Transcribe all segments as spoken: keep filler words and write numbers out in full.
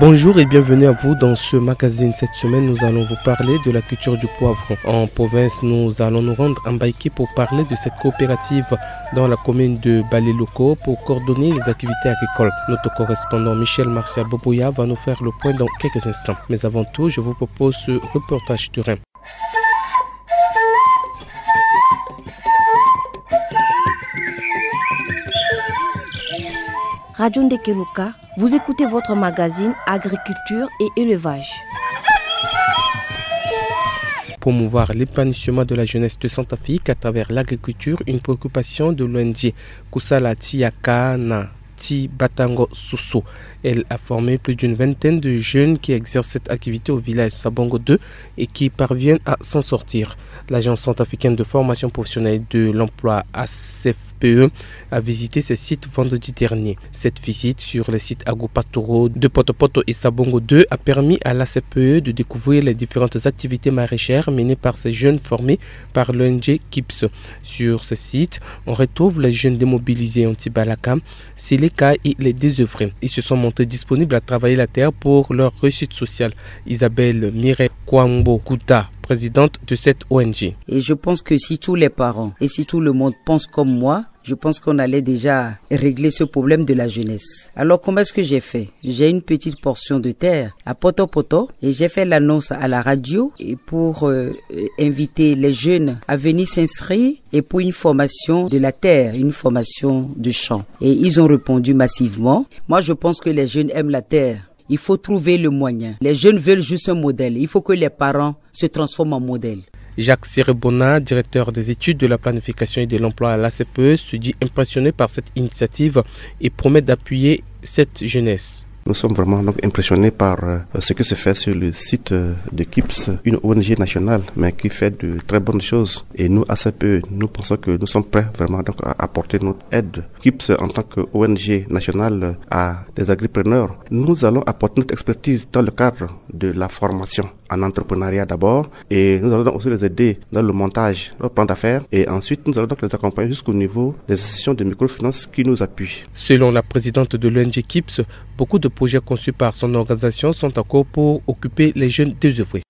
Bonjour et bienvenue à vous dans ce magazine. Cette semaine, nous allons vous parler de la culture du poivron. En province, nous allons nous rendre en Baïki pour parler de cette coopérative dans la commune de Baleloko pour coordonner les activités agricoles. Notre correspondant Michel Marcia Boboya va nous faire le point dans quelques instants. Mais avant tout, je vous propose ce reportage terrain. Radio Ndekeluka, vous écoutez votre magazine Agriculture et Élevage. Promouvoir l'épanouissement de la jeunesse de Centrafrique à travers l'agriculture, une préoccupation de l'O N G Kusala Tiaka na Ti Batango Soso. Elle a formé plus d'une vingtaine de jeunes qui exercent cette activité au village Sabongo deux et qui parviennent à s'en sortir. L'Agence centrafricaine de formation professionnelle de l'emploi, A C F P E, a visité ces sites vendredi dernier. Cette visite sur les sites agro-pastoraux de Potopoto et Sabongo deux a permis à l'A C F P E de découvrir les différentes activités maraîchères menées par ces jeunes formés par l'O N G Kips. Sur ces sites, on retrouve les jeunes démobilisés, Anti Balaka, Seleka et les désœuvrés. Ils se sont montrés disponibles à travailler la terre pour leur réussite sociale. Isabelle Mireille Kwambo Kuta, présidente de cette O N G. Et je pense que si tous les parents et si tout le monde pense comme moi, je pense qu'on allait déjà régler ce problème de la jeunesse. Alors, comment est-ce que j'ai fait ? J'ai une petite portion de terre à Potopoto et j'ai fait l'annonce à la radio et pour, euh, euh, inviter les jeunes à venir s'inscrire et pour une formation de la terre, une formation de champ. Et ils ont répondu massivement. Moi, je pense que les jeunes aiment la terre. Il faut trouver le moyen. Les jeunes veulent juste un modèle. Il faut que les parents se transforment en modèle. Jacques Serebona, directeur des études de la planification et de l'emploi à l'A C F P E, se dit impressionné par cette initiative et promet d'appuyer cette jeunesse. Nous sommes vraiment donc impressionnés par, euh, ce qui se fait sur le site, euh, de Kips, une O N G nationale, mais qui fait de très bonnes choses. Et nous, A C F P E, nous pensons que nous sommes prêts vraiment donc à apporter notre aide. Kips, en tant que O N G nationale, euh, a des agripreneurs. Nous allons apporter notre expertise dans le cadre de la formation en entrepreneuriat d'abord, et nous allons aussi les aider dans le montage de leur plan d'affaires, et ensuite nous allons donc les accompagner jusqu'au niveau des institutions de microfinance qui nous appuient. Selon la présidente de l'O N G Kips, beaucoup de projets conçus par son organisation sont en cours pour occuper les jeunes désœuvrés.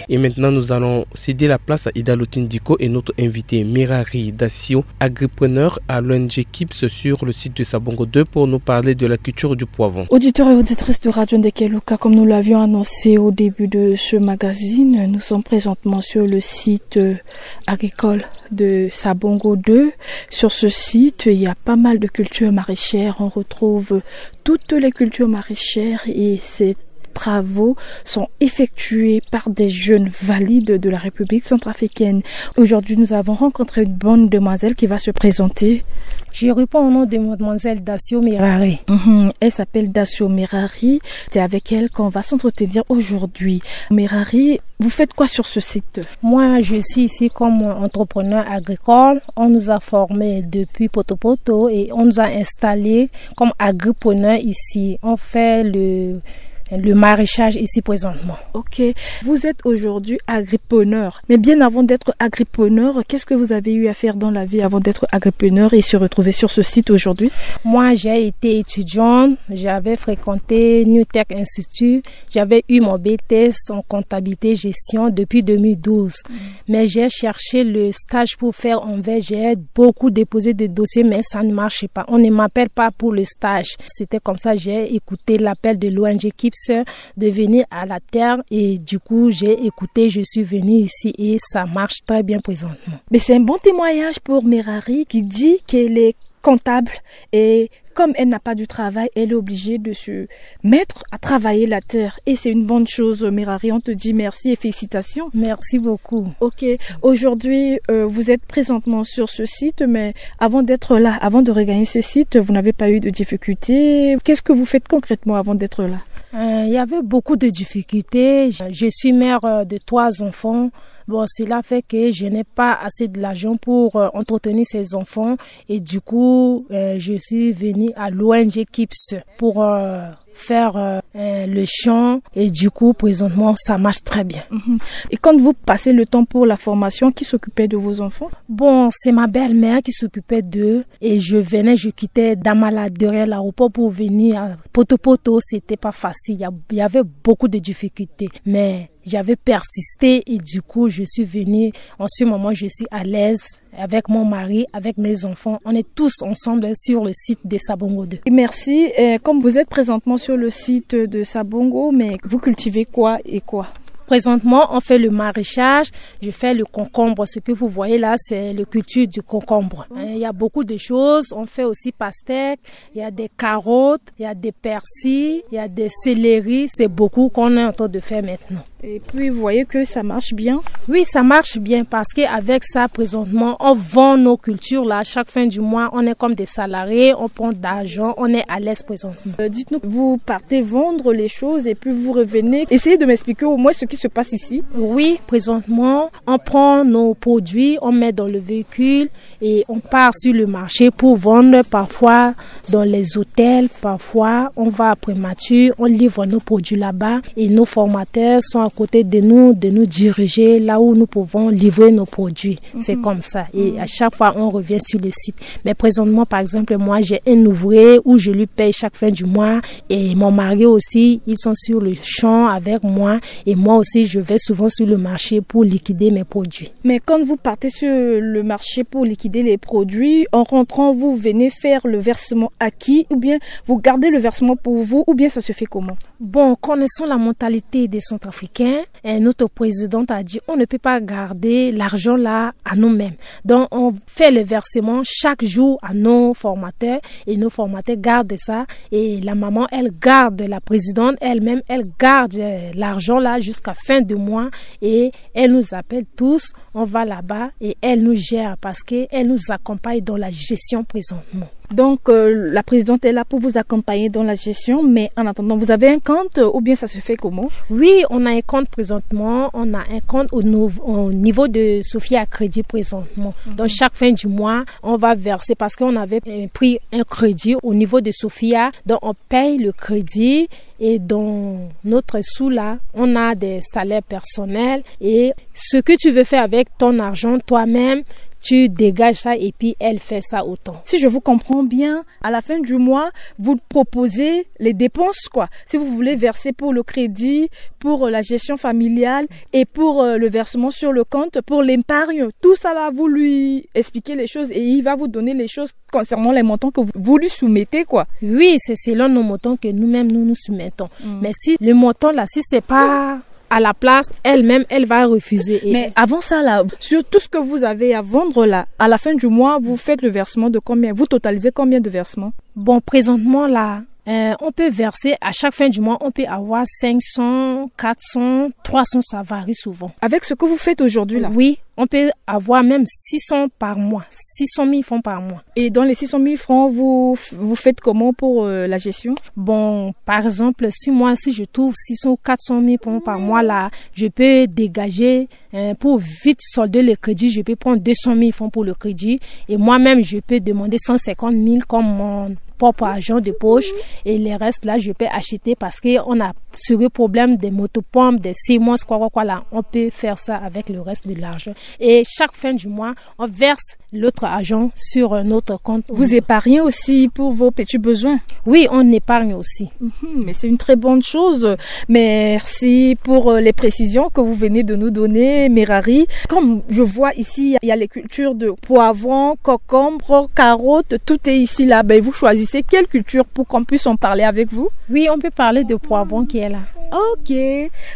Et maintenant, nous allons céder la place à Ida Lotindiko et notre invité Mirari Dassio, agripreneur à l'O N G Kips sur le site de Sabongo deux, pour nous parler de la culture du poivron. Auditeurs et auditrices de Radio Ndekeluka, comme nous l'avions annoncé au début de ce magazine, nous sommes présentement sur le site, euh, agricole de Sabongo deux. Sur ce site, il y a pas mal de cultures maraîchères. On retrouve toutes les cultures maraîchères et ces travaux sont effectués par des jeunes valides de la République centrafricaine. Aujourd'hui, nous avons rencontré une bonne demoiselle qui va se présenter. Je réponds au nom de mademoiselle Dassio Mirari. Mhm. Elle s'appelle Dassio Mirari. C'est avec elle qu'on va s'entretenir aujourd'hui. Mirari, vous faites quoi sur ce site ? Moi, je suis ici comme entrepreneur agricole. On nous a formés depuis Potopoto et on nous a installés comme agripreneurs ici. On fait le, le maraîchage ici présentement. Ok. Vous êtes aujourd'hui agripreneur. Mais bien avant d'être agripreneur, qu'est-ce que vous avez eu à faire dans la vie avant d'être agripreneur et se retrouver sur ce site aujourd'hui ? Moi, j'ai été étudiante. J'avais fréquenté New Tech Institute. J'avais eu mon B T S en comptabilité gestion depuis deux mille douze. Mm. Mais j'ai cherché le stage pour faire en V G R. J'ai beaucoup déposé de dossiers, mais ça ne marchait pas. On ne m'appelle pas pour le stage. C'était comme ça, j'ai écouté l'appel de l'O N G Kips de venir à la terre et du coup, j'ai écouté, je suis venue ici et ça marche très bien présentement. Mais c'est un bon témoignage pour Mirari qui dit qu'elle est comptable et comme elle n'a pas de travail, elle est obligée de se mettre à travailler la terre. Et c'est une bonne chose, Mirari. On te dit merci et félicitations. Merci beaucoup. Ok. Aujourd'hui, euh, vous êtes présentement sur ce site, mais avant d'être là, avant de regagner ce site, vous n'avez pas eu de difficultés. Qu'est-ce que vous faites concrètement avant d'être là ? Euh, il y avait beaucoup de difficultés. Je suis mère, euh, de trois enfants. Bon, cela fait que je n'ai pas assez de l'argent pour euh, entretenir ces enfants et du coup, euh, je suis venue à l'O N G Kips pour euh, faire euh, euh, le champ et du coup, présentement, ça marche très bien. Et quand vous passez le temps pour la formation, qui s'occupait de vos enfants ? Bon, c'est ma belle-mère qui s'occupait d'eux et je venais, je quittais Damala derrière l'aéroport pour venir à Poto Poto. C'était pas facile, il y a- il y avait beaucoup de difficultés, mais j'avais persisté et du coup, je suis venue. En ce moment, je suis à l'aise avec mon mari, avec mes enfants. On est tous ensemble sur le site de Sabongo deux. Et merci. Euh, comme vous êtes présentement sur le site de Sabongo, mais vous cultivez quoi et quoi ? Présentement, on fait le maraîchage. Je fais le concombre. Ce que vous voyez là, c'est le culture du concombre. Hein, il y a beaucoup de choses. On fait aussi pastèque. Il y a des carottes, il y a des persils, il y a des céleris. C'est beaucoup qu'on est en train de faire maintenant. Et puis, vous voyez que ça marche bien. Oui, ça marche bien parce qu'avec ça, présentement, on vend nos cultures là. Chaque fin du mois, on est comme des salariés, on prend d'argent, on est à l'aise présentement. Euh, dites-nous, vous partez vendre les choses et puis vous revenez. Essayez de m'expliquer au moins ce qui se passe ici. Oui, présentement, on prend nos produits, on met dans le véhicule et on part sur le marché pour vendre parfois dans les hôtels, parfois on va à Prémature, on livre nos produits là-bas et nos formateurs sont à côté de nous, de nous diriger là où nous pouvons livrer nos produits. C'est comme ça. Et à chaque fois, on revient sur le site. Mais présentement, par exemple, moi, j'ai un ouvrier où je lui paye chaque fin du mois et mon mari aussi, ils sont sur le champ avec moi et moi aussi, je vais souvent sur le marché pour liquider mes produits. Mais quand vous partez sur le marché pour liquider les produits, en rentrant, vous venez faire le versement à qui ? Ou bien vous gardez le versement pour vous ? Ou bien ça se fait comment ? Bon, connaissant la mentalité des Centrafricains, hein, notre présidente a dit on ne peut pas garder l'argent là à nous-mêmes. Donc, on fait le versement chaque jour à nos formateurs et nos formateurs gardent ça. Et la maman, elle garde, la présidente elle-même, elle garde euh, l'argent là jusqu'à fin de mois et elle nous appelle tous. On va là-bas et elle nous gère parce qu'elle nous accompagne dans la gestion présentement. Donc, euh, la présidente est là pour vous accompagner dans la gestion, mais en attendant, vous avez un compte euh, ou bien ça se fait comment ? Oui, on a un compte présentement. On a un compte au, nou- au niveau de Sophia Crédit présentement. Donc, chaque fin du mois, on va verser parce qu'on avait euh, pris un crédit au niveau de Sophia. Donc, on paye le crédit et dans notre sous là, on a des salaires personnels et ce que tu veux faire avec ton argent toi-même, tu dégages ça et puis elle fait ça autant. Si je vous comprends bien, à la fin du mois, vous proposez les dépenses, quoi. Si vous voulez verser pour le crédit, pour euh, la gestion familiale et pour euh, le versement sur le compte, pour l'épargne, tout ça là, vous lui expliquez les choses et il va vous donner les choses concernant les montants que vous, vous lui soumettez, quoi. Oui, c'est selon nos montants que nous-mêmes nous nous soumettons. Mais si le montant là, si c'est pas à la place, elle-même, elle va refuser. Et Mais avant ça, là, sur tout ce que vous avez à vendre, là, à la fin du mois, vous faites le versement de combien ? Vous totalisez combien de versements ? Bon, présentement là, euh, on peut verser à chaque fin du mois, on peut avoir cinq cents, quatre cents, trois cents, ça varie souvent. Avec ce que vous faites aujourd'hui, là. Oui, on peut avoir même six cents par mois, six cent mille francs par mois. Et dans les six cent mille francs, vous, vous faites comment pour euh, la gestion ? Bon, par exemple, si moi, si je trouve six cents ou quatre cent mille francs par mois là, je peux dégager euh, pour vite solder le crédit, je peux prendre deux cent mille francs pour le crédit. Et moi-même, je peux demander cent cinquante mille comme mon propre argent de poche. Et les restes là, je peux acheter parce qu'on a ce problème des motopompes, des semences, quoi, quoi, quoi là. On peut faire ça avec le reste de l'argent. Et chaque fin du mois, on verse l'autre argent sur un autre compte. Vous épargnez aussi pour vos petits besoins ? Oui, on épargne aussi. Hmm, mais c'est une très bonne chose. Merci pour euh, les précisions que vous venez de nous donner, Merari. Comme je vois ici, il y a les cultures de poivrons, concombres, carottes, tout est ici là. Ben, vous choisissez quelle culture pour qu'on puisse en parler avec vous ? Oui, on peut parler de poivrons qui est là. Ok.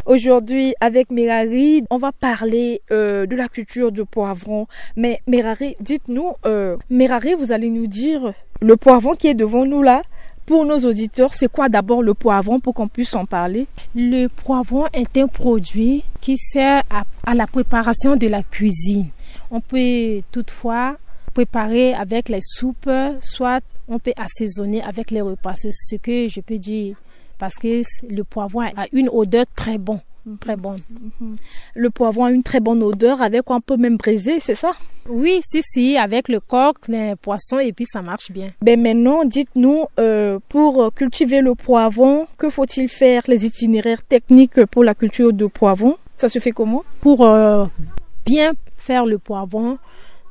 Aujourd'hui, avec Merari, on va parler euh, de la culture du poivron. Mais Merari, dites-nous, euh, Merari, vous allez nous dire le poivron qui est devant nous là. Pour nos auditeurs, c'est quoi d'abord le poivron pour qu'on puisse en parler ? Le poivron est un produit qui sert à, à la préparation de la cuisine. On peut toutefois préparer avec les soupes, soit on peut assaisonner avec les repas. C'est ce que je peux dire parce que le poivron a une odeur très bonne. Très bonne. Le poivron a une très bonne odeur, avec quoi on peut même braiser, c'est ça? Oui, si, si, avec le coq, les poissons, et puis ça marche bien. Ben maintenant, dites-nous, euh, pour cultiver le poivron, que faut-il faire, les itinéraires techniques pour la culture de poivron? Ça se fait comment? Pour euh, bien faire le poivron,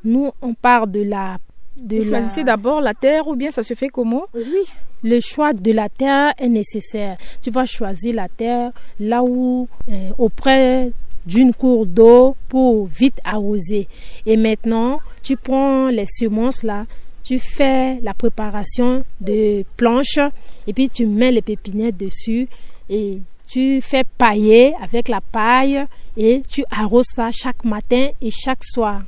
nous, on part de la... De... Vous choisissez d'abord la terre ou bien ça se fait comment? Oui. Le choix de la terre est nécessaire. Tu vas choisir la terre là où, euh, auprès d'une cour d'eau pour vite arroser. Et maintenant, tu prends les semences là, tu fais la préparation de planches et puis tu mets les pépinières dessus et tu fais pailler avec la paille et tu arroses ça chaque matin et chaque soir.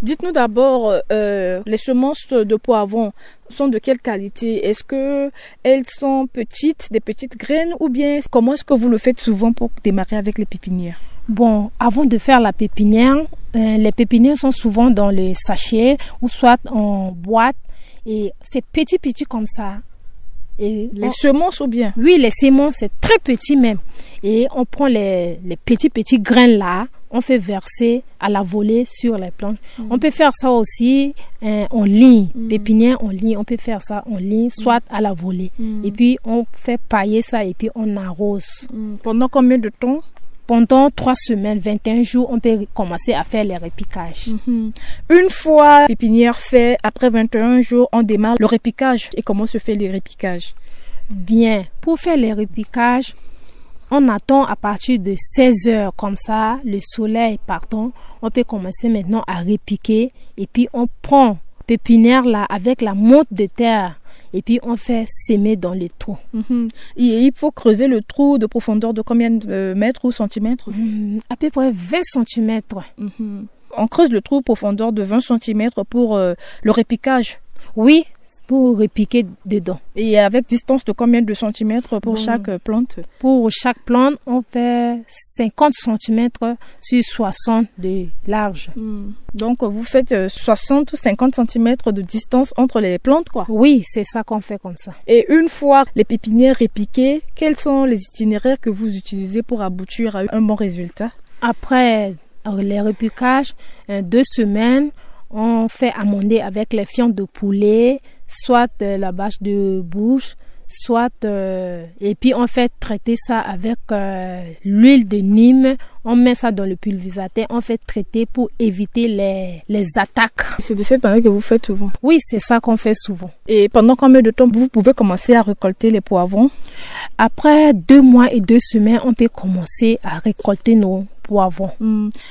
Dites-nous d'abord, euh, les semences de poivron sont de quelle qualité? Est-ce que elles sont petites, des petites graines, ou bien comment est-ce que vous le faites souvent pour démarrer avec les pépinières? Bon, avant de faire la pépinière, euh, les pépinières sont souvent dans les sachets ou soit en boîte et c'est petit, petit comme ça. Et les semences ou bien? Oui, les semences, c'est très petit même. Et on prend les, les petits, petits grains là, on fait verser à la volée sur les planches. On peut faire ça aussi, euh, en ligne, pépinière en ligne, on peut faire ça en ligne, soit à la volée. Et puis on fait pailler ça et puis on arrose. Pendant combien de temps? Pendant trois semaines, vingt et un jours, on peut commencer à faire les repiquages. Une fois pépinière fait, après vingt et un jours, on démarre le repiquage. Et comment se fait le repiquage? Bien, pour faire les repiquages, on attend à partir de seize heures comme ça, le soleil partant, on peut commencer maintenant à repiquer et puis on prend pépinière là avec la monte de terre et puis on fait semer dans les trous. Et il faut creuser le trou de profondeur de combien de mètres ou centimètres? Hmm, à peu près vingt centimètres. On creuse le trou profondeur de vingt centimètres pour, euh, le repiquage. Oui, pour repiquer dedans. Et avec distance de combien de centimètres pour chaque, euh, plante? Pour chaque plante, on fait cinquante centimètres sur soixante de large. Donc, vous faites, euh, soixante ou cinquante centimètres de distance entre les plantes, quoi. Oui, c'est ça qu'on fait comme ça. Et une fois les pépinières repiquées, quels sont les itinéraires que vous utilisez pour aboutir à un bon résultat? Après les repiquages, euh, deux semaines, on fait amender avec les fientes de poulet, soit, euh, la bâche de bouche, soit, euh, et puis on fait traiter ça avec, euh, l'huile de Nîmes. On met ça dans le pulvérisateur, on fait traiter pour éviter les, les attaques. C'est de cette manière que vous faites souvent? Oui, c'est ça qu'on fait souvent. Et pendant combien de temps vous pouvez commencer à récolter les poivrons? Après deux mois et deux semaines, on peut commencer à récolter nos poivrons.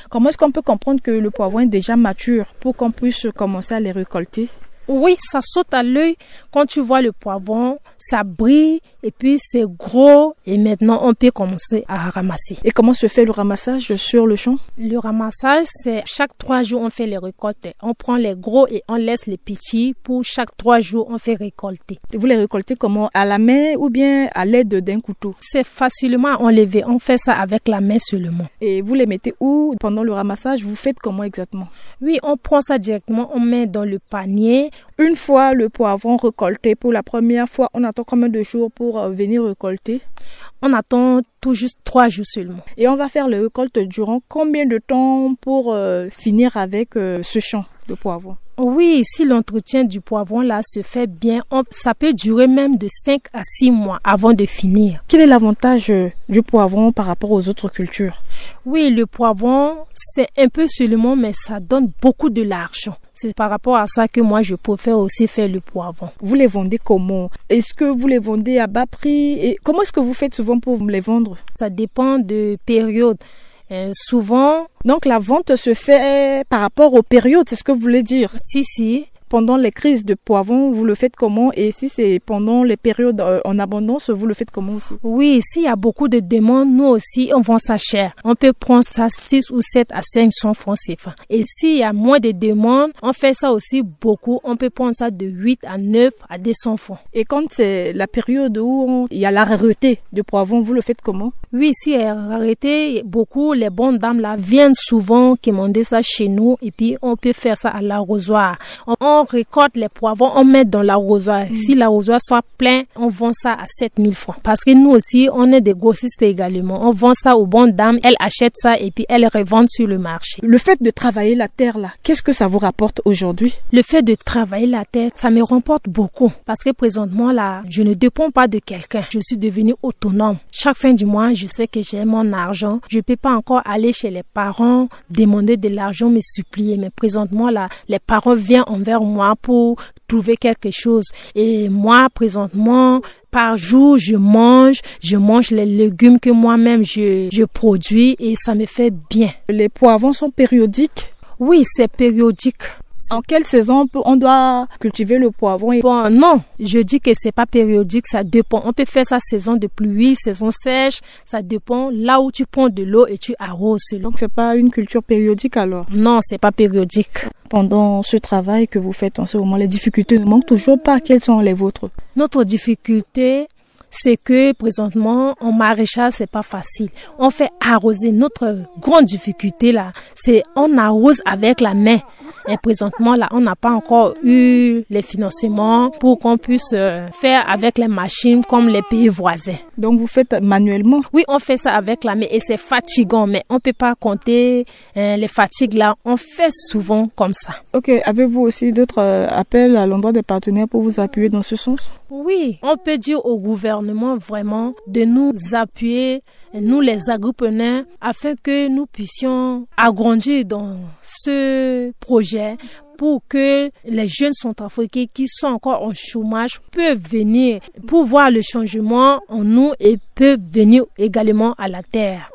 Comment est-ce qu'on peut comprendre que le poivron est déjà mature pour qu'on puisse commencer à les récolter? Oui, ça saute à l'œil quand tu vois le poivron, ça brille et puis c'est gros et maintenant on peut commencer à ramasser. Et comment se fait le ramassage sur le champ? Le ramassage, c'est chaque trois jours on fait les récoltes. On prend les gros et on laisse les petits. Pour chaque trois jours, on fait récolter. Vous les récoltez comment? À la main ou bien à l'aide d'un couteau? C'est facilement enlevé. On fait ça avec la main seulement. Et vous les mettez où pendant le ramassage? Vous faites comment exactement? Oui, on prend ça directement, on met dans le panier. Une fois le poivron récolté pour la première fois, on attend combien de jours pour, euh, venir récolter? On attend tout juste trois jours seulement. Et on va faire les récoltes durant combien de temps pour, euh, finir avec, euh, ce champ de poivrons? Oui, si l'entretien du poivron là se fait bien, on, ça peut durer même de cinq à six mois avant de finir. Quel est l'avantage, euh, du poivron par rapport aux autres cultures? Oui, le poivron, c'est un peu seulement, mais ça donne beaucoup de l'argent. C'est par rapport à ça que moi, je préfère aussi faire le poivron. Vous les vendez comment? Est-ce que vous les vendez à bas prix? Et comment est-ce que vous faites souvent pour les vendre? Ça dépend de période. Euh, souvent. Donc la vente se fait par rapport aux périodes, c'est ce que vous voulez dire? Si, si. Pendant les crises de poivrons, vous le faites comment? Et si c'est pendant les périodes, euh, en abondance, vous le faites comment aussi? Oui, s'il y a beaucoup de demandes, nous aussi, on vend ça cher. On peut prendre ça six ou sept à cinq cents francs C F A. Et s'il y a moins de demandes, on fait ça aussi beaucoup. On peut prendre ça de huit à neuf à deux cents francs. Et quand c'est la période où on- il y a la rareté de poivrons, vous le faites comment? Oui, s'il y a rareté, beaucoup, les bonnes dames là viennent souvent commander ça chez nous et puis on peut faire ça à l'arrosoir. On, on On récolte les poivrons, on met dans l'arrosoir. Si l'arrosoir soit plein, on vend ça à sept mille francs. Parce que nous aussi, on est des grossistes également. On vend ça aux bonnes dames, elles achètent ça et puis elles revendent sur le marché. Le fait de travailler la terre là, qu'est-ce que ça vous rapporte aujourd'hui ? Le fait de travailler la terre, ça me rapporte beaucoup. Parce que présentement là, je ne dépends pas de quelqu'un. Je suis devenue autonome. Chaque fin du mois, je sais que j'ai mon argent. Je peux pas encore aller chez les parents, demander de l'argent, me supplier. Mais présentement là, les parents viennent envers moi pour trouver quelque chose. Et moi, présentement, par jour, je mange, je mange les légumes que moi-même je, je produis et ça me fait bien. Les poivrons sont périodiques ? Oui, c'est périodique. En quelle saison on peut, on doit cultiver le poivron ? Bon, non, je dis que c'est pas périodique, ça dépend. On peut faire sa saison de pluie, saison sèche, ça dépend là où tu prends de l'eau et tu arroses. Donc c'est pas une culture périodique alors ? Non, c'est pas périodique. Pendant ce travail que vous faites en ce moment, les difficultés ne manquent toujours pas. Quelles sont les vôtres ? Notre difficulté, c'est que présentement, en maraîchage, c'est pas facile. On fait arroser. Notre grande difficulté là, c'est on arrose avec la main. Et présentement là, on n'a pas encore eu les financements pour qu'on puisse euh, faire avec les machines comme les pays voisins. Donc vous faites manuellement ? Oui, on fait ça avec la main et c'est fatigant, mais on peut pas compter euh, les fatigues là. On fait souvent comme ça. Ok, avez-vous aussi d'autres euh, appels à l'endroit des partenaires pour vous appuyer dans ce sens ? Oui, on peut dire au gouvernement vraiment de nous appuyer, nous les agripreneurs, afin que nous puissions agrandir dans ce projet pour que les jeunes centrafricains qui sont encore en chômage peuvent venir pour voir le changement en nous et peuvent venir également à la terre.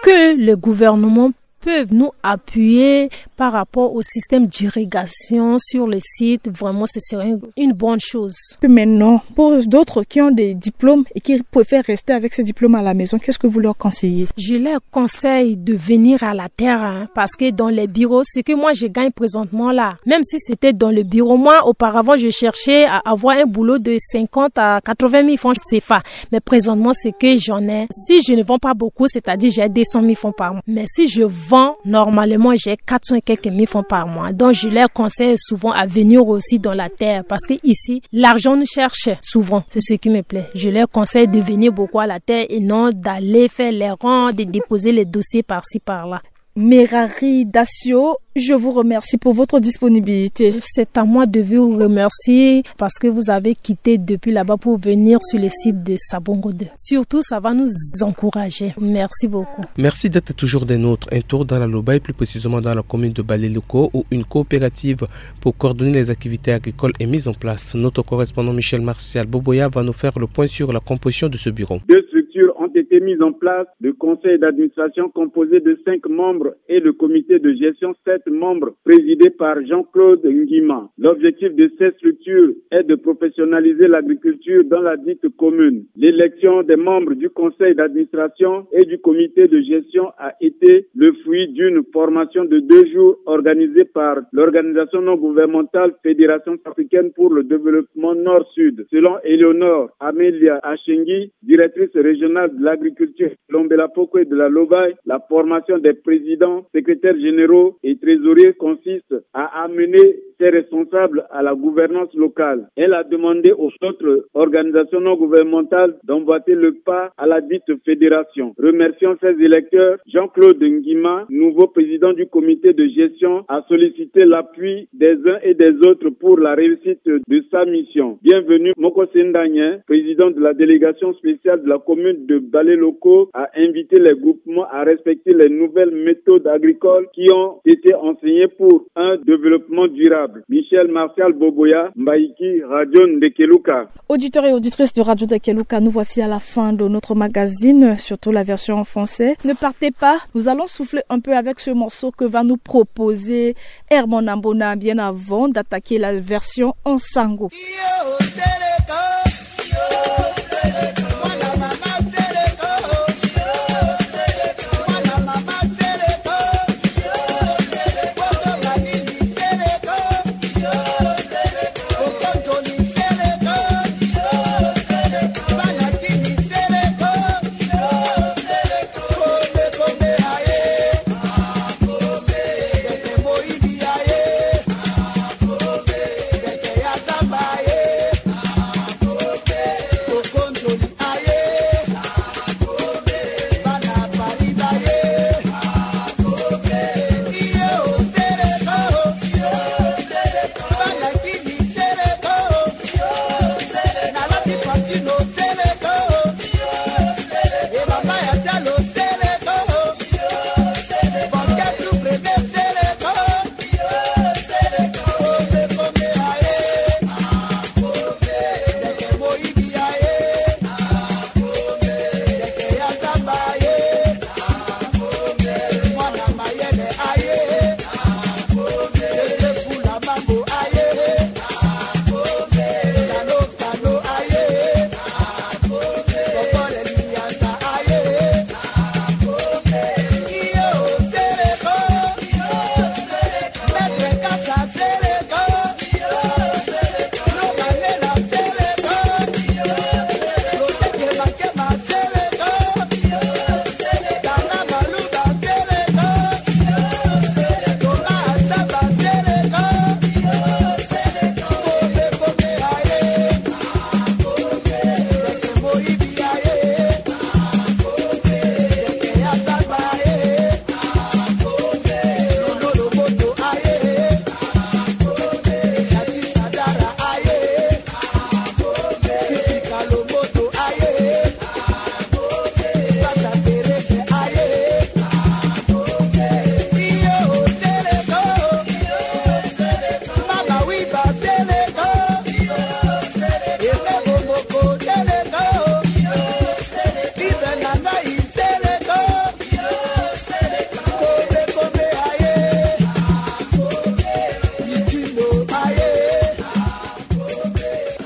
Que le gouvernement peuvent nous appuyer par rapport au système d'irrigation sur le site. Vraiment, ce serait une, une bonne chose. Maintenant, pour d'autres qui ont des diplômes et qui préfèrent rester avec ces diplômes à la maison, qu'est-ce que vous leur conseillez ? Je leur conseille de venir à la terre, hein, parce que dans les bureaux, ce que moi je gagne présentement là, même si c'était dans le bureau, moi auparavant je cherchais à avoir un boulot de cinquante à quatre-vingt mille francs CFA. Mais présentement, ce que j'en ai, si je ne vends pas beaucoup, c'est-à-dire j'ai deux cent mille francs par mois. Mais si je vends, normalement, j'ai quatre cents et quelques mille francs par mois. Donc, je leur conseille souvent à venir aussi dans la terre parce que ici, l'argent nous cherche souvent. C'est ce qui me plaît. Je leur conseille de venir beaucoup à la terre et non d'aller faire les ronds, de déposer les dossiers par-ci, par-là. Merari Dacio, je vous remercie pour votre disponibilité. C'est à moi de vous remercier parce que vous avez quitté depuis là-bas pour venir sur le site de Sabongo deux. Surtout, ça va nous encourager. Merci beaucoup. Merci d'être toujours des nôtres. Un tour dans la Lobaye, plus précisément dans la commune de Baleloko, où une coopérative pour coordonner les activités agricoles est mise en place. Notre correspondant Michel Martial Boboya va nous faire le point sur la composition de ce bureau. Deux structures ont été mises en place. Le conseil d'administration composé de cinq membres et le comité de gestion, sept membres, présidé par Jean-Claude Nguima. L'objectif de ces structures est de professionnaliser l'agriculture dans la dite commune. L'élection des membres du conseil d'administration et du comité de gestion a été le fruit d'une formation de deux jours organisée par l'organisation non gouvernementale Fédération africaine pour le développement Nord-Sud. Selon Éléonore Amelia Achengi, directrice régionale de l'agriculture, Lombela Poko et de la Lobaye, la formation des présidents, secrétaires généraux et trésoriers consiste à amener ses responsables à la gouvernance locale. Elle a demandé aux autres organisations non gouvernementales d'emboîter le pas à la dite fédération. Remerciant ses électeurs, Jean-Claude Nguima, nouveau président du comité de gestion, a sollicité l'appui des uns et des autres pour la réussite de sa mission. Bienvenu Moko Sendanye, président de la délégation spéciale de la commune de Baleloko, a invité les groupements à respecter les nouvelles méthodes agricoles qui ont été enseignées pour un développement durable. Michel Martial Boboya, Mbaïki, Radio Ndekeluka. Auditeurs et auditrices de Radio Ndekeluka, nous voici à la fin de notre magazine, surtout la version en français. Ne partez pas, nous allons souffler un peu avec ce morceau que va nous proposer Herman Ambona bien avant d'attaquer la version en sango.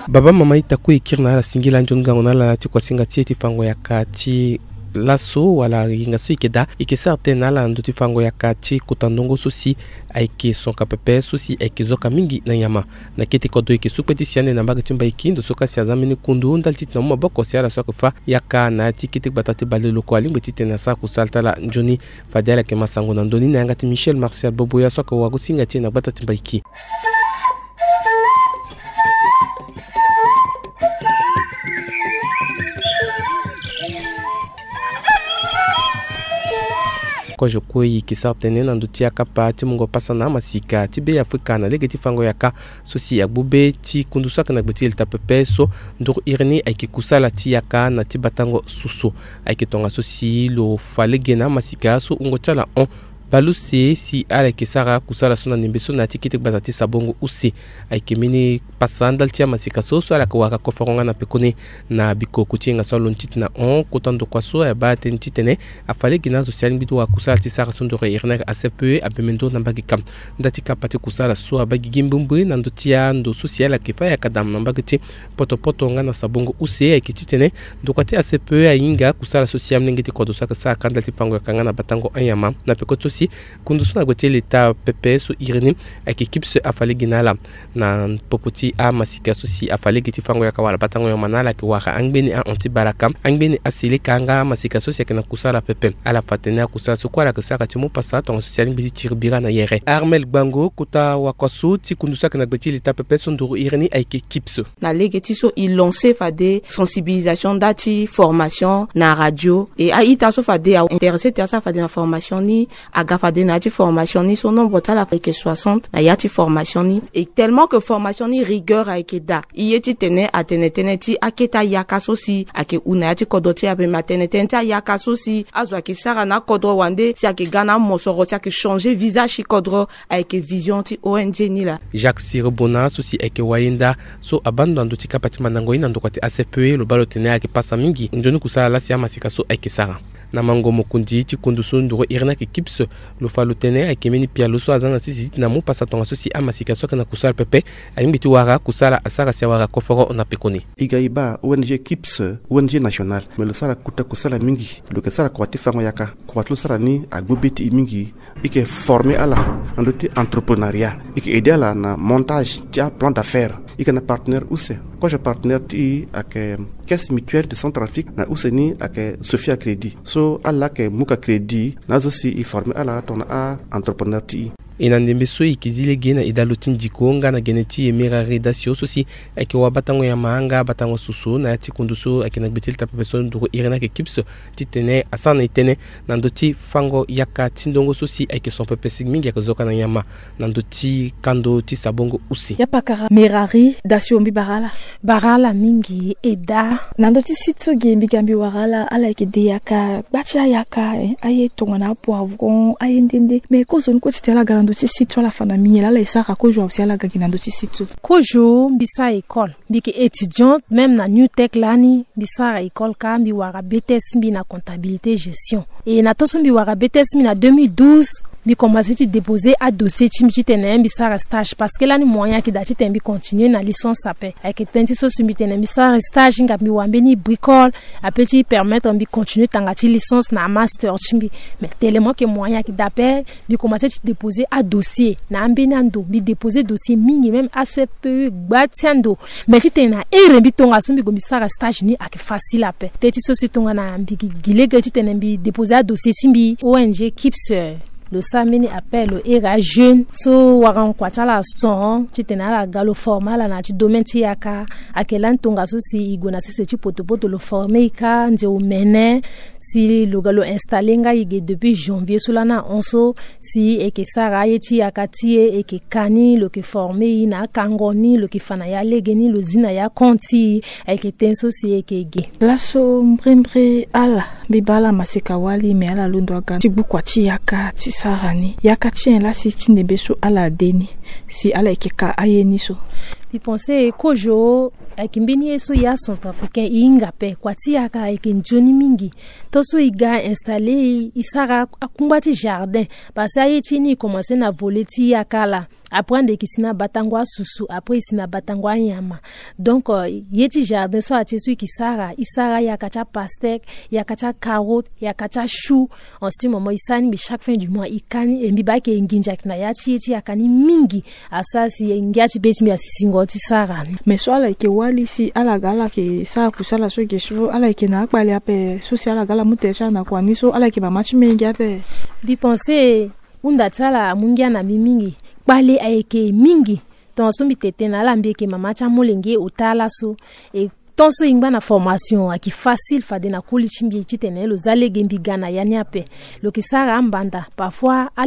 Baba mama ita kue e kiri na ala singila nzoni gango na ala ti kuasinga ti e ti fango yaka ti laso wala yenga so e yeke daa, e yeke sara tënë na ala na ndö ti fango yaka ti kota ndongo so si ayeke sonka pepe so si ayeke zoka mingi na nyama. Na kete kodro e yeke su kpe ti si ande na mbage ti Mbaiki, ndo so ka si aza mbeni kundu ndali ti tena mu maboko si ala so ayeke fâ yaka na ya ti kete gbata ti baleoloko alingbi ti tene asara kusala ti ala nzoni. Fade ala yeke ma sango na ndö ni na yanga ti Michel Martial Boboya so ayeke wagosinga ti e na gbata ti Mbaiki. Kozo kue e yeke sara tënë na ndö ti akapa ti mungo pasa na amasika ti Be Afrika na lege ti fango yaka so si agbu be ti kundu so ayeke na gbe ti leta pepe so nduru iri ni ayeke kusala ti yaka na ti batango susu. Ayeke tongaso si lo fa lege na amasika so wungo ti ala hon baleuse si ala yeke sara kusala so na ndembe so na ya ti kete gbata ti sabongo use. Ayeke mbeni pasa ndali ti amasika so so ala yeke wara koforo nga na pekoni na bikoko ti yenga so alondo ti tena hon kota ndokua so ayeke baa tënë titene afa lege na azo si alingbi ti wara kusala ti sara so nduru iri ni ayeke A C P E abembe nduru na mbage kam. Nda ti kapa ti kusala so abaa gigi mbrimbri na ndö ti ando so si ala yeke fâ yaka dam na mbage ti potopoto nga na sabongo use ayeke titene ndokua ti A C P E ahinga kusala so si amolenge ti kodro so ayeke sara ka ndali ti fango yaka nga na batango anyama na peko ti so si kundu so na gbe ti leta pepe so iri ni ayeke kipse afa lege na ala. Na popo ti amasika so si afa lege ti fango yaka wala batango nyama na ala ayeke wara angbeni ahon ti baraka, angbeni aseleka nga amasika so si ayeke na kusala pepe. Ala fa tënë akusala so kue ala yeke sara ti mu pasa tongaso si alingbi ti tiri bira na yere. Armel Gbango kota wakua so ti kundu so ayeke na gbe ti leta pepe so nduru iri ni ayeke kipse. Na lege ti so e lancer fade sensibilisation nda ti formation na radio. E a-ita so fade a-intéressé ti asara fade na formation ni aga fade na ya ti formation ni so nombre ti ala ayeke soixante na ya ti formation ni. Et tellement que formation ni rigueur ayeke daa, e ye titene atene tënë ti akete ayaka so si ayeke hu na ya ti kodro ti e ape, me atene tënë ti ayaka so si azo ayeke sara na akodro wande si ayeke ga na amosoro si ayeke changer visage ti kodro. Ayeke vision ti O N G ni laa. Jacques Siribona so si ayeke wayenda so abaa ndo na ndö ti kapa ti mandango ye na ndokua ti A C P E lo baa lo tene ayeke pasa mingi nzoni kusala laa si amasika so ayeke sara. Na mango mokonzi ti kundu so nduru iri ni ayeke kips, lo fa lo tene ayeke mbeni pialo so aza na sese ti tena mu pasa tongaso si amasika so ayeke na kusala pepe alingbi ti wara kusala asara si awara koforo na pekoni. E ga e baa O N G kips, O N G national, me lo sara kota kusala mingi. Lo yeke sara kua ti fango yaka. Kua ti lo sara ni agbu be ti e mingi. E yeke former ala na ndö ti entrepreneuriat. E yeke aider ala na montage ti aplan d'affaires. E yeke na partenaire use. Kozo partenaire ti e ayeke Caisse Mutuelle de Centrafrique, na use ni ayeke Sophia Crédit. So ala yeke mu ka crédit na azo si e former ala tongana a-entrepreneur ti e. E na ndembe so e yeke zi lege na e dalo ti ndiko nga na gene ti e Merari Dasio so si ayeke wa batango nyama nga batango susu na ya ti kundu so ayeke na gbe ti leta pepe so nduru iri ni ayeke kips, titene asara na e tënë na ndö ti fango yaka ti ndongo so si ayeke son pepe si mingi ayeke zoka na nyama na ndö ti kando ti sabongo use. Ya pakara Merari Dasio, mbi bara ala. Bara ala mingi e daa. Na ndö ti site so ge mbi ga mbi wara ala, ala yeke de yaka, gba ti ayaka, eh, aye tongana apoivron, aye nde nde. Me kozoni kue titene ala ga na ndö ti site so ala fa na miniel, ala e sara kozo awe si ala ga gi na ndö ti site so. Kozo mbi sara école. Mbi yeke étudiante même na New Tech lani, mbi sara école ka, mbi wara B T S ti mbi na comptabilité gestion. E na tongaso mbi wara B T S ti mbi na deux mille douze, mbi commencé ti déposer adossier ti mbi titene mbi sara stage, parce que lani moyen ayeke daa titene mbi continuer na licence ape. Ayeke tënë ti so si mbi tene mbi sara stage, hinga mbi wara mbeni bricole ape ti permettre mbi continuer tanga ti licence na master ti mbi. Mais tellement que moyen ayeke daa ape, mbi commencé ti déposer adossier na ambeni ando. Mbi déposer dossier mingi, même A C P E gba ti ando. Mais titene na here mbi tongaso mbi gue mbi sara stage ni ayeke facile ape. Tënë ti so si tongana mbi gi lege titene mbi déposer adossier ti mbi, O N G kips, eh, lo sara mbeni appel, lo here ajeune so wara nkua ti ala son titene ala ga lo former ala na ya ti domaine ti yaka. Ayeke lani tongaso si e gue na sese ti potopoto lo former e ka nze omene. Si lo ga lo installer nga e ge depuis janvier so lani ahon so, si e yeke sara aye ti yaka ti e, e yeke ka ni, lo yeke former e na akango ni, lo yeke fa na ya lege ni, lo zi na ya compte ti e. Ayeke tënë so si e yeke ge. Laso mbrimbri ala, mbi baa ala maseka wali, me ala londo aga ti gbu kua ti yaka ti sara ni. Yaka ti nyen laa si ti ndembe so ala de ni, si ala yeke ka aye ni so? Mbi pensé kozo Ayeke mbeni ye so ya centrafricain e hinga ape. Kua ti yaka ayeke nzoni mingi. Tant so e ga installer e, e sara akungba ti jardin. Parce que aye ti e ni e commencer na volet ti yaka laa. Après ande e yeke si na batango asusu, après e si na batango anyama. Donc, euh, ye ti jardin so atie so e yeke sara, e sara yaka ti apastèque, yaka ti acarotte, yaka ti achou. En ce moment e sara ni mbi chaque fin du mois e ka ni, e mbi baa ayeke nginza ayeke na ya ti ye ti yaka ni mingi. Asara si ngia ti be ti mbi asi singo ti sara ni. Mais so ala yeke wali si ala ga ala yeke sara kusala so ge so ala yeke na akpale ape so si ala ga ala mu tere ti ala na kua ni so ala yeke mama ti menge ape. Mbi pense hunda ti ala amu ngia na mbi mingi. Kpale ayeke mingi. Tongaso mbi tene na ala mbi yeke mama ti amolenge ota laso. E tant so e ngba na formation ayeke facile fade na koli ti mbi titene lo za lege mbi ga na ya ni ape. Lo yeke sara ambanda parfois a,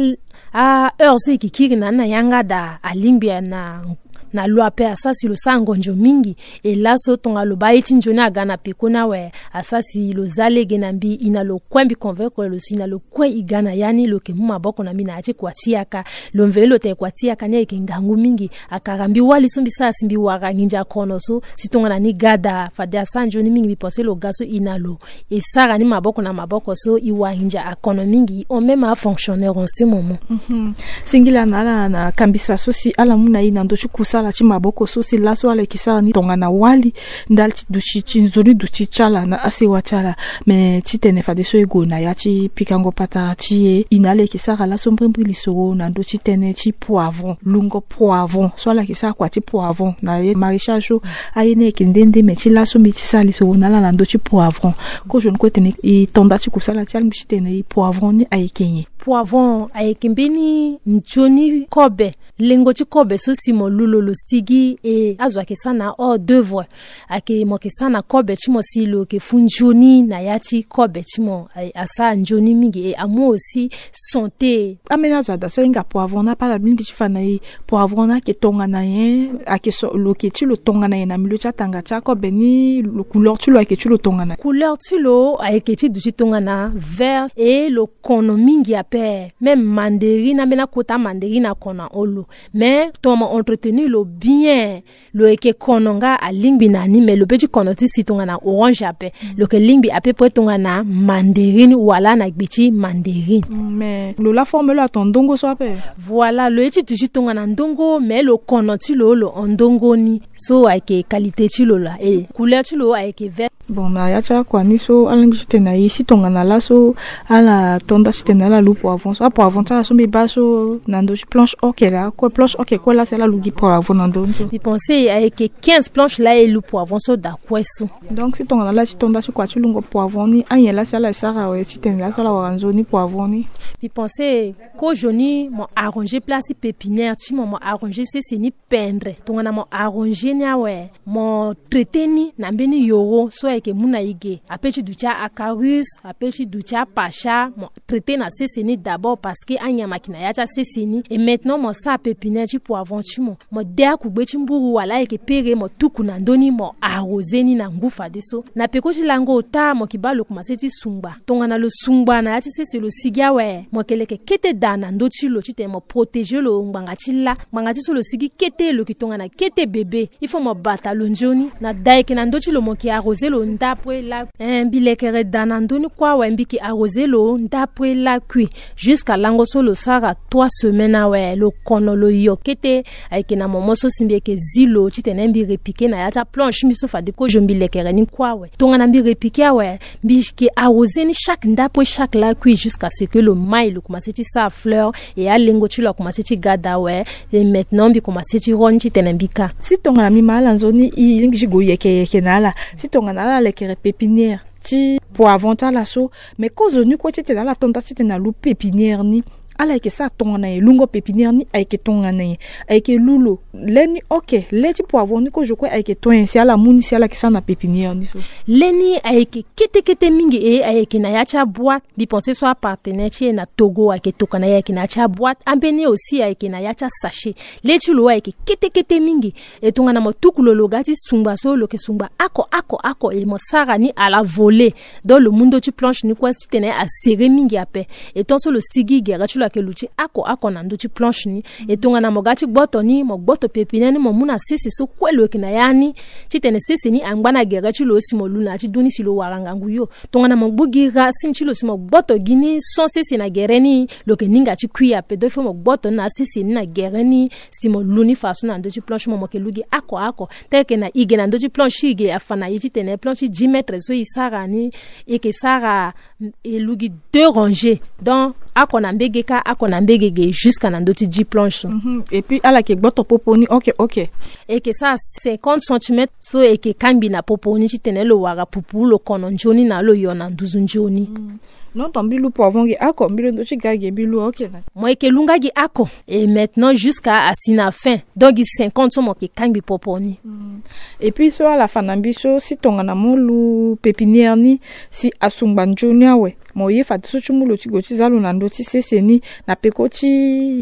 a heure so e yeke kiri na ni na yanga daa alingbi na, na lo ape asara si lo sara ngonzo mingi. E laso tongana lo baa ye ti nzoni aga na pekoni awe asara si lo za lege na mbi e na lo kue mbi convaincre lo si na lo kue e ga na ya ni lo yeke mu maboko na mbi na ya ti kua ti yaka. Lo mveni lo tene kua ti yaka ni ayeke ngangu mingi. Akara mbi wali so mbi sara si mbi wara nginza kono so si tongana ni ga daa fade asara nzoni mingi mbi pense lo ga so e na lo e sara ni maboko na maboko so e wara nginza akono mingi e hon même afonctionnaire en ce moment. Mhm. Singila na ala na kambisa so si ala mu na e na ndö ti kusala ti maboko so si laso ala yeke sara ni tongana wali ndali ti duti ti nzoni duti ti ala na asewa ti ala. Me titene fadeso e gue na ya ti pikango patara ti e e na ala yeke sara laso mbrimbri lisoro na ndö ti tënë ti poivron, lungo poivron so ala yeke sara kua ti poivron na ye maraîchage so. Aye ni ayeke nde nde me ti laso mbi ti sara lisoro na ala na ndö ti poivron. Kozoni kue tene e to nda ti kusala ti ala mbi titene e poivron ni ayeke nyen? Poivron ayeke mbeni nzoni kobe. Lengo ti kobe so si mo lu lo lo sigi e azo ayeke sara na hors d'œuvre. Ayeke mo yeke sara na kobe ti mo si lo yeke fu nzoni na ya ti kobe ti mo. Asara nzoni mingi e amu aussi santé. Ambeni azo ada so ahinga poivron ni apala mingi ti fa na e poivron ni ayeke tongana nyen? Ayeke so lo yeke ti lo tongana nyen na milieu ti atanga ti akobe ni? Lo couleur ti lo ayeke ti lo tongana nyen? Couleur ti lo ayeke ti duti tongana vert e lo kono mingi ape. Même mandarine ambeni akota mandarine akono na hon lo. Mais tongana mo entretenir lo bien lo yeke kono nga alingbi na ni me lo pe ti kono ti si tongana orange ape. Lo yeke lingbi à peu près tongana mandarine wala na gbe ti mandarine. Mm, mais lo la forme lo atongana ndongo so ape. Voilà lo ye ti duti tongana ndongo mais lo kono ti lo lo hon ndongo ni. So ayeke qualité ti lo laa e couleur ti lo ayeke vert. Bon na ya ti akua ni so alingbi ti tene na e si tongana laso ala to nda ti tene ala lu poivron so apoivron ti ala so mbi baa so na ndö ti planche hockey laa kue planche hockey kue laa si ala lu gi poivron na ndö ni so. Mbi pense ayeke quinze planche laa e lu poivron so daa kue so. Donc si tongana laa ti to nda ti kua ti lungo poivron ni anyen laa si ala e sara awe ti tene laso ala wara nzoni poivron ni? Mbi pense kozoni mo arranger place ti pépinière ti mo mo arranger sese ni pendre tongana mo arranger ni awe. Mo traiter ni na mbeni yoro so ayeke mu na e ge ape ti duti a-acarus ape ti duti apacha mo traiter na sese ni d'abord parce que anyama ayeke na ya ti asese ni. Et maintenant mo sara pépinière ti poivron ti mo mo de akugbe ti mburu wala ayeke pere mo tuku na ndö ni mo arroser ni na ngu fadeso na peko ti lango ota mo yeke baa lo komanse ti sungba. Tongana lo sungba na ya ti sese lo sigi awe mo yeke leke kete daa na ndö ti lo titene mo protéger lo ngbanga ti laa ngbanga ti so lo sigi kete lo yeke tongana kete bebe. Il faut mo bata lo nzoni na da yeke na ndö ti lo mo yeke arroser lo ndapue lakui. Eh, mbi lekere daa na ndö ni kue awe mbi yeke arroser lo ndapue lakui. Jusqu'à lango so lo sara trois semaines awe lo kono lo yo kete. Ayeke na moment so si mbi yeke zi lo titene mbi repiquer na ya ti aplanche mbi so fade kozo mbi lekere ni kue awe tongana mbi repiquer awe. Mbi yeke arroser ni chaque ndapue chaque lakui jusqu'à ce que lo mai lo komanse ti sara fleur. Et alengo ti lo akomanse ti ga daa awe. Et maintenant mbi komanse ti ro ni titene mbi ka. Si tongana mbi ma ala nzoni e lingbi ti gue yeke yeke na ala si tongana ala lekere pépinière ti poivron ti ala so. Mais kozoni kue titene ala to nda titene alu pépinière ni ala yeke sara tongana nyen? Lungo pépinière ni ayeke tongana nyen? Ayeke lu lo le ni oke le ti poivron ni kozo kue ayeke to nyen si ala mu ni si ala yeke sara na pépinière ni so? Le ni ayeke kete kete mingi e ayeke na ya ti aboîte. Mbi pense so apartenaire ti e na Togo ayeke tokana e ayeke na ya ti aboîte ambeni aussi ayeke na ya ti asachet. Le ti lo ayeke kete kete mingi. E tongana mo tuku lo lo ga ti sungba so lo yeke sungba oko oko oko e mo sara ni à la volée. Donc lo mu ndö ti planche ni kue titene aserrer mingi ape. E tant so lo sigi gere ti lo Mo yeke lu ti oko oko na ndö ti planche ni. E tongana mo ga ti gboto ni, mo gboto pepiniere ni, mo mu na sese so kue lo yeke na ya ni, titene sese ni angba na gere ti lo si mo lu na ya ti du ni si lo wara ngangu yo. Tongana mo gbu gi racine ti lo si mo gboto gi ni sans sese na gere ni, lo yeke ninga ti kui ape. Donc il faut mo gboto ni na sese ni na gere ni si mo lu ni faso na ndö ti planche. Mo, mo yeke lu gi oko oko. Tel que na e ge na ndö ti planche ti e ge afa na e titene planche ti dix mètres so e sara ni, e yeke sara, e lu gi deux rangées. Donc oko na mbege kâ, oko na mbege ge, jusqu'à na ndö ti dix planches. Mhm. Et puis ala yeke gboto popo ni, ok, ok. E yeke sara cinquante centimètres so e yeke kangbi na popo ni titene lo wara pupu, lo kono nzoni na lo yo na nduzu nzoni. Mm. Non, ton mbi lu poivron gi oko, mbi lu ndö ti ga gi, mbi lu, ok na. Mo yeke lu nga gi oko. Et maintenant jusqu'à asi na fin. Donc gi cinquante so mo yeke kangbi popo ni. Mm. Et puis so ala fa na mbi so, si tongana mo lu pépinière ni si asungba nzoni awe, mo ye fadeso ti mu lo ti gue ti za lo na ndö ti sese ni na peko ti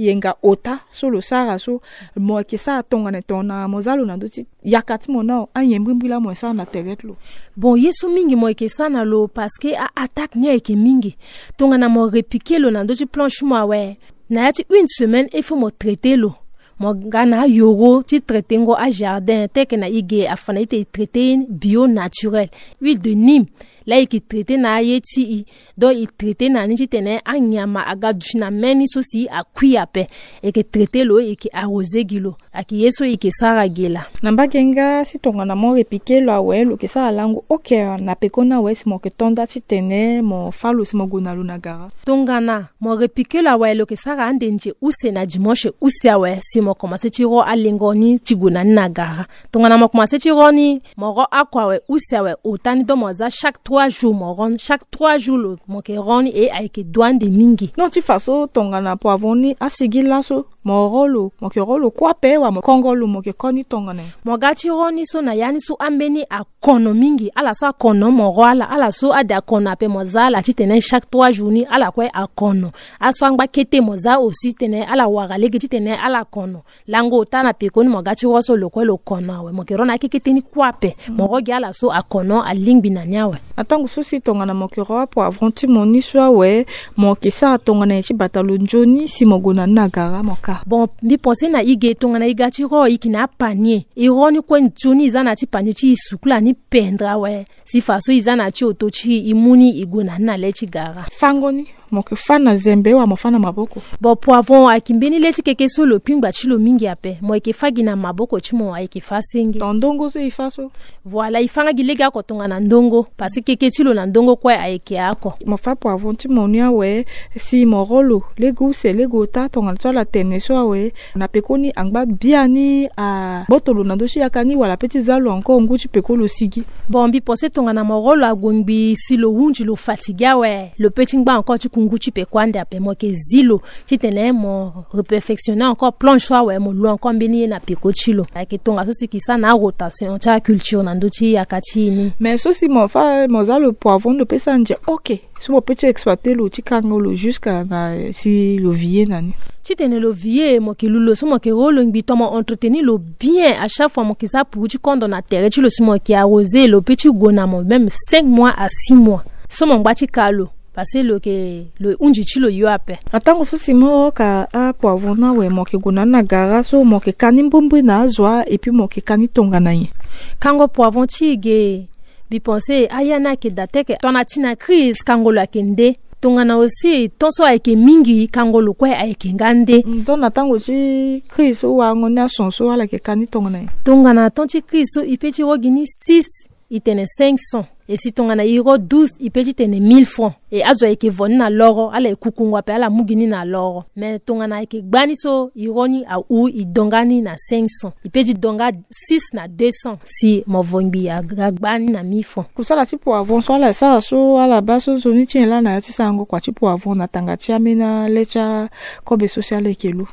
yenga ota so lo sara so, mo yeke sara tongana, tongana mo za lo na ndö ti yaka ti mo nao, anyen mbrimbri laa mo yeke sara na tere ti lo? Bon, ye so mingi mo yeke sara na lo parce que a-attaque ni ayeke mingi. Tongana mo repiquer lo na ndö ti planche ti mo awe, na ya ti une semaine il faut mo traiter lo. Mo ga na ayoro ti traiter ngo ajardin, tel que na e ge afa na e titene e traiter bio naturel, huile de nîmes. Laa e yeke traiter na aye ti e. Donc e traiter na ni titene anyama aga duti na mê ni so si akui ape. E yeke traiter lo, e yeke arroser gi lo. Ayeke ye so e yeke sara ge laa. Na mbage nga si tongana mo repiquer lo awe, lo yeke sara lango, ok, na peko ni awe si mo yeke to nda titene mo fâ lo si mo gue na lo na gara? Tongana mo repiquer lo awe, lo yeke sara ande nze use na dimanche use awe si mo komanse ti ro alengo ni ti gue na ni na gara. Tongana mo komanse ti ro ni, mo ro oko awe, use awe, ota ni, donc mo za chaque trois jours mo ro ni. Chaque trois jours lo mo yeke ro ni, e ayeke dua ande mingi. Non, ti fa so tongana poivron ni asigi laso, mo ro lo, mo yeke ro lo kue ape, wala mo kongo lo, mo yeke ko ni tongana nyen? Mo ga ti ro ni so na ya ni so ambeni akono mingi. Ala so akono mo ro ala, ala so ade akono ape mo za ala titene chaque trois jours ni ala kue akono. Aso angba kete mo za aussi titene ala wara lege titene ala kono. Lango ota na peko ni mo ga ti ro so lo kue lo kono awe, mo yeke ro na akekete ni kue ape. Mo ro gi ala so akono alingbi na ni awe. Na tango so si tongana mo yeke ro apoivron ti mo ni so awe, mo yeke sara tongana nyen ti bata lo nzoni si mo gue na ni na gara mo ka? Bon, mbi pense na e ge, tongana e ga ti ro, e yeke na apanier. E ro ni kue nzoni, e za na ya ti panier ti e sukula ni pendre awe. Si fa so e za na ya ti oto ti e, e mu ni, e gue na ni na le ti gara. Fango ni, mo yeke fâ na zembe wala mo fâ na maboko? Bon, poivron ayeke mbeni le ti keke so lo kpingba ti lo mingi ape. Mo yeke fâ gi na maboko ti mo, ayeke fâ senge. Ton ndongo so e fâ so? Voilà, e fâ nga gi legeoko tongana ndongo, parce que keke ti lo na ndongo kue ayeke oko. Mo fâ poivron ti mo ni awe, si mo ro lo lege use lege ota tongana so ala tene so awe, na pekoni angba biani agboto lo na ndö ti yaka ni wala ape ti za lo encore ngu ti peko lo sigi? Bon, mbi pense tongana mo ro lo ague ngbii si lo hunzi lo fatigué awe, lo peut ti ngba encore ti ku ngu ti peko ande ape. Mo yeke zi lo titene mo reperfectionner encore planche so awe, mo lu encore mbeni ye na peko ti lo. Ayeke tongaso si e ke sara na arotation ti aculture na ndö ti yaka ti e ni. Mais so si mo fâ, mo za lo poivron, lo peut sara nze? Ok. So mo peut ti exploiter lo ti kango lo jusqu'à na si lo vie na ni? Titene lo vie, mo yeke lu lo so mo yeke ro lo ngbii, to mo entretenir lo bien. À chaque fois mo yeke za puru ti kondo na tere ti lo si mo yeke arroser, lo peut ti gue na mo même cinq mois à six mois. So mo ngba ti ka lo, parce que lo yeke, lo hunzi ti lo yo ape. Na tango so si mo ka apoivron ni awe, mo yeke gue na ni na gara so mo yeke ka ni mbrimbri na azo a, et puis mo yeke ka ni tongana nyen? Kango poivron ti e ge, mbi pense aya ni ayeke daa te ke tongana ti na crise kango lo ayeke nde. Tongana aussi ton so ayeke mingi, kango lo kue ayeke nga nde. Mm, donc na tango ti crise so warango ni ason so ala yeke ka ni tongana nyen? Tongana ton ti crise so e peut ti ro gi ni six, e tene cinq cents. Et si tongana e ro douze, e peut ti tene mille francs. Et azo ayeke vo ni na loro, ala yeke kukungo ape, ala mu gi ni na loro. Mais tongana ayeke gbani so e ro ni ahu, e donga ni na cinq cents. E peut ti donga six na deux cents si mo vo ngbii aga gbani na mille francs. Kusala ti poivron so ala sara so ala baa so nzoni ti nyen laa na ya ti sarango kua ti poivron na tanga ti ambeni le ti akobe so si ala yeke lu?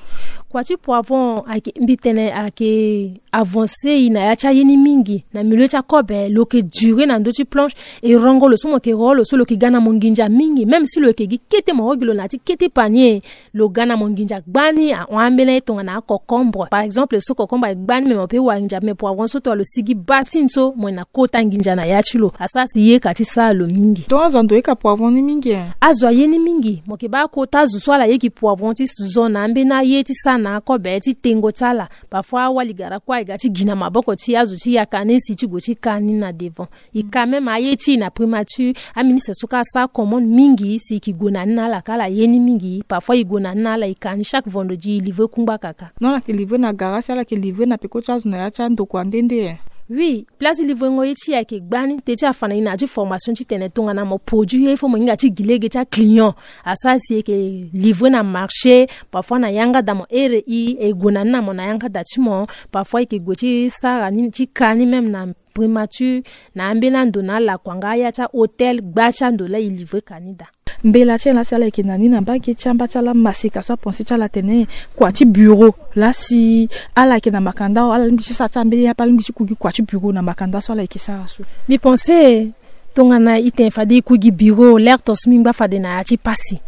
Kua ti poivron ayeke mbi tene ayeke avancer e na ya ti aye ni mingi. Na milieu ti akobe lo yeke durer na ndö ti planche. E rongo lo so mo yeke ro lo so lo yeke ga na mo nginza mingi. Même si lo yeke gi kete moro gi lo na ya ti kete panier, lo ga na mo nginza gbani. Ahon ambeni aye tongana acocombre par exemple. So cocombre aye gbani me mo pe wara nginza me poivron so tongana lo sigi baa sini so mo yeke na kota nginza na ya ti lo. Asara si ye ka ti sara lo mingi. Donc azo ando ye ka poivron ni mingi e? Azo aye ni mingi. Mo yeke baa kota zo so ala ye gi poivron ti zo na ambeni aye ti sara na akobe ti tengo ti ala. Parfois awali gara kue aye ga ti gi na maboko ti azo ti yaka ni si ti gue ti ka ni na devant. E ka même aye ti e na primature, aministre so ka asara commande mingi si e ke gue na ni na ala ka ala ye ni mingi. Parfois e gue na ni na ala e ka ni chaque vendredi e livrer kungba kaka. Non, ala yeke livrer na gara si ala yeke livrer na peko ti azo na ya ti andokua nde nde e? Oui, place livrengo ye ti e ayeke gbani. Te ti afa na e na ya ti formation titene tongana mo produit ye il faut mo hinga ti gi lege ti aclient. Asara si e yeke livrer na marché. Parfois na yanga daa mo here e e gue na ni na mo na yanga daa ti mo. Parfois e yeke gue ti sara ni ti ka ni même na primature, na ambeni ando na alakua nga aya ti ahôtel gba ti ando laa e livrer ka ni daa. Mbela ti ala si ala yeke na ni na mbage ti amba ti ala maseka so apense ti ala atene kua ti bureau laa si ala yeke na makanda awe ala lingbi ti sara ti ambeni ape ala lingbi ti ku gi kua ti bureau na makanda so ala yeke sara so? Mbi pense tongana e tene fade e ku gi bureau lerte so mbi ngba fade na ya ti pasi.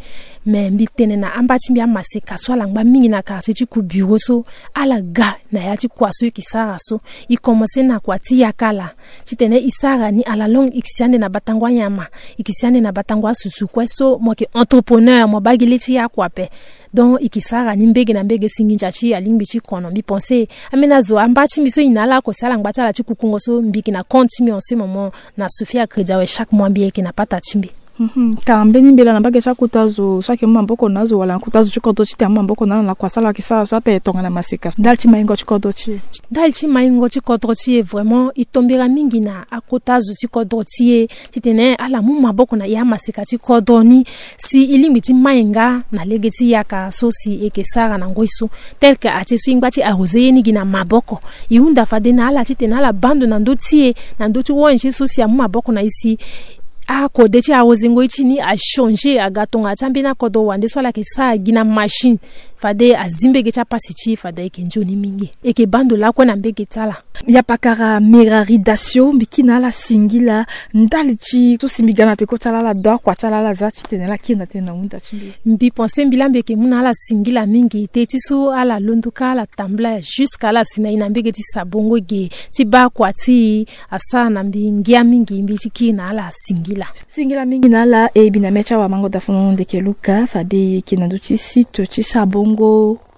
Mais mbi tene na amba ti mbi amaseka so ala ngba mingi na quartier ti ku bureau so ala ga na ya ti kua so e ke sara so. E commencer na kua ti yaka laa titene e sara ni à la longue e ke si ande na batango anyama, e ke si ande na batango asusu kue so mo yeke entrepreneur mo baa gi le ti ya kua ape. Donc e ke sara ni mbege na mbege si nginza ti e alingbi ti kono. Mbi pense ambeni azo amba ti mbi so e na ala oko si ala ngba ti ala ti kukungo so mbi yeke na compte ti mbi en ce moment na Sophia Crédit awe chaque mois mbi yeke na pata ti mbi. Mhm. Ka mbeni mbela na mbage ti akota zo so ayeke mu maboko na azo wala na kota zo ti kodro titene amu maboko na ala na kua so ala yeke sara so ape tongana maseka ndali ti maingo ti kodro ti e? Ndali ti maingo ti kodro ti e vraiment e tombera mingi na akota zo ti kodro ti e titene ala mu maboko na e amaseka ti kodro ni si e lingbi ti mai nga na lege ti yaka so si e yeke sara na ngoi so. Tel que ati so e ngba ti arroser ye ni gi na maboko. E hunda fade na ala titene ala baa ndo na ndö ti e na ndö ti O N G so si amu maboko na e si akode ti arroser ngoi ti ni achanger aga tongana ti ambeni akodro wande so ala yeke sara gi na machine. Fade azi mbege ti apasi ti e fade ayeke nzoni mingi. E yeke baa ndo lakue na mbege ti ala. Yapakara Merari Dasio, mbi kiri na ala singila ndali ti so si mbi ga na peko ti ala ala do akua ti ala ala za titene ala kiri na tënë na hunda ti mbi. Mbi pense mbi laa mbi yeke mu na ala singila mingi te ti so ala londo kâ ala tambula jusque ala si na e na mbege ti sabongo ge ti baa kua ti e. Asara na mbi ngia mingi mbi ti kiri na ala singila. Singila mingi na ala e bi na mê ti awamango dafono ndeke Luka fade e yeke na ndö ti site ti sabongo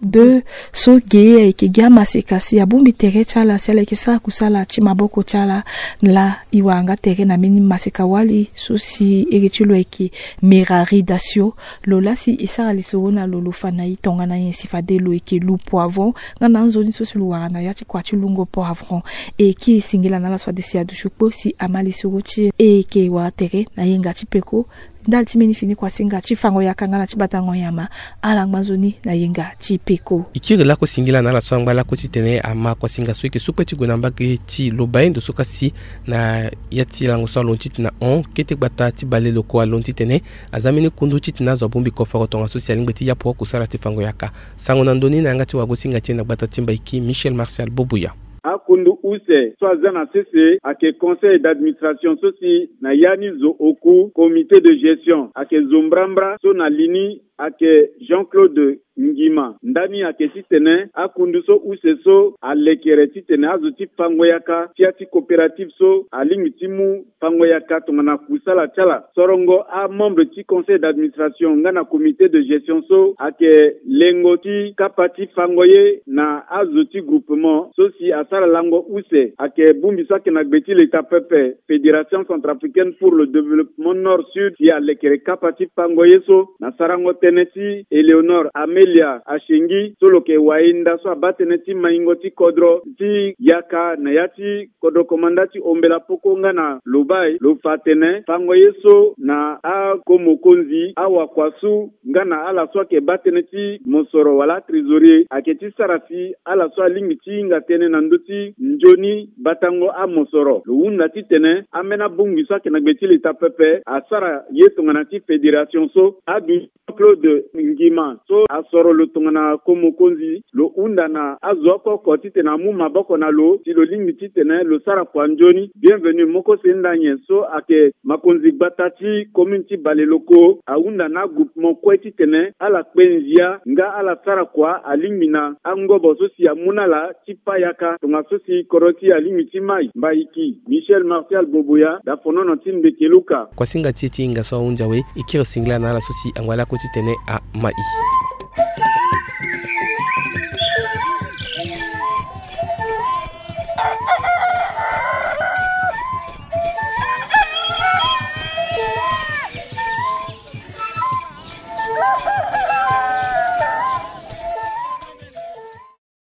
deux so ge ayeke gi amaseka si abongbi tere ti ala si ala yeke sara kusala ti maboko ti ala. Laa e wara nga tere na mbeni maseka wali so si ere ti lo ayeke Merari Dasio. Lo laa si e sara lisoro na lo lo fa na e tongana nyen si fade lo yeke lu poivron nga na anzoni so si lo wara na ya ti kua ti lungo poivron. E kiri singila na ala so fade si aduti kpo si ama lisoro ti e. E yeke wara tere na yenga ti peko ndali ti mbeni fini kuasinga ti fango yaka nga na ti batango nyama. Ala ngba nzoni na yenga ti peko. E kiri lakue singila na ala so angba lakue titene ama kuasinga so e yeke su kpe ti gue na mbage ti lo bae ndo so kasi na ya ti lango so alondo titene ahon kete gbata ti bale lo kue alondo titene aza mbeni kundu titene azo abongbi koforo tongaso si alingbi ti yapu kusala ti fango yaka. Sango na ndö ni na yanga ti wagosinga ti e na gbata ti Mbaiki, Michel Martial Bobuya. Akundu use so aza na sese ayeke conseil d'administration so si na ya ni zo oku comité de gestion ayeke zo mbrambra so na li ni ayeke Jean-Claude Ngima. Ndani ayeke titene akundu so use so alekere titene azo ti fango yaka ti ya ti coopérative so alingbi ti mu fango yaka tongana kusala ti ala. Sorongo amembre ti conseil d'administration nga na comité de gestion so ayeke lengo ti kapa ti fango ye na azo ti groupement so si asara lango use ayeke bongbi so ayeke na gbe ti leta pepe, Fédération centrafricaine pour le développement nord sud, si alekere kapa ti fango ye so na sarango tënë ti Éléonore Amélia Achengi so lo yeke wayenda so abaa tënë ti maingo ti kodro ti yaka na ya ti kodro komanda ti Ombela Poko nga na Lobaye. Lo fa atene fango ye so na ako mokonzi, awakuasu nga na ala so ayeke baa tënë ti mosoro wala atrésorier ayeke ti sara si ala so alingbi ti hinga tënë na ndö ti nzoni batango amosoro. Lo hunda titene ambeni abongbi so ayeke na gbe ti leta pepe asara ye tongana ti fédération so adu Claude de Ngima so asoro lo tongana ko mokonzi, lo hunda na azo oko oko titene amu maboko na lo si lo lingbi titene lo sara kua nzoni. Bienvenu moko se nda nyen so ayeke makonzi gbata ti commune ti Baleloko ahunda na agroupement kue titene ala kpe nzia nga ala sara kua alingbi na angobo so si amu na ala ti payaka tongaso si kodro ti e alingbi ti mai. Mbaiki Michel Martial Boboya, dafonono ti Mbeke Luka. Kuasinga ti e ti hinga so ahunzi awe, e kiri singila na ala so si angba lako titene amai.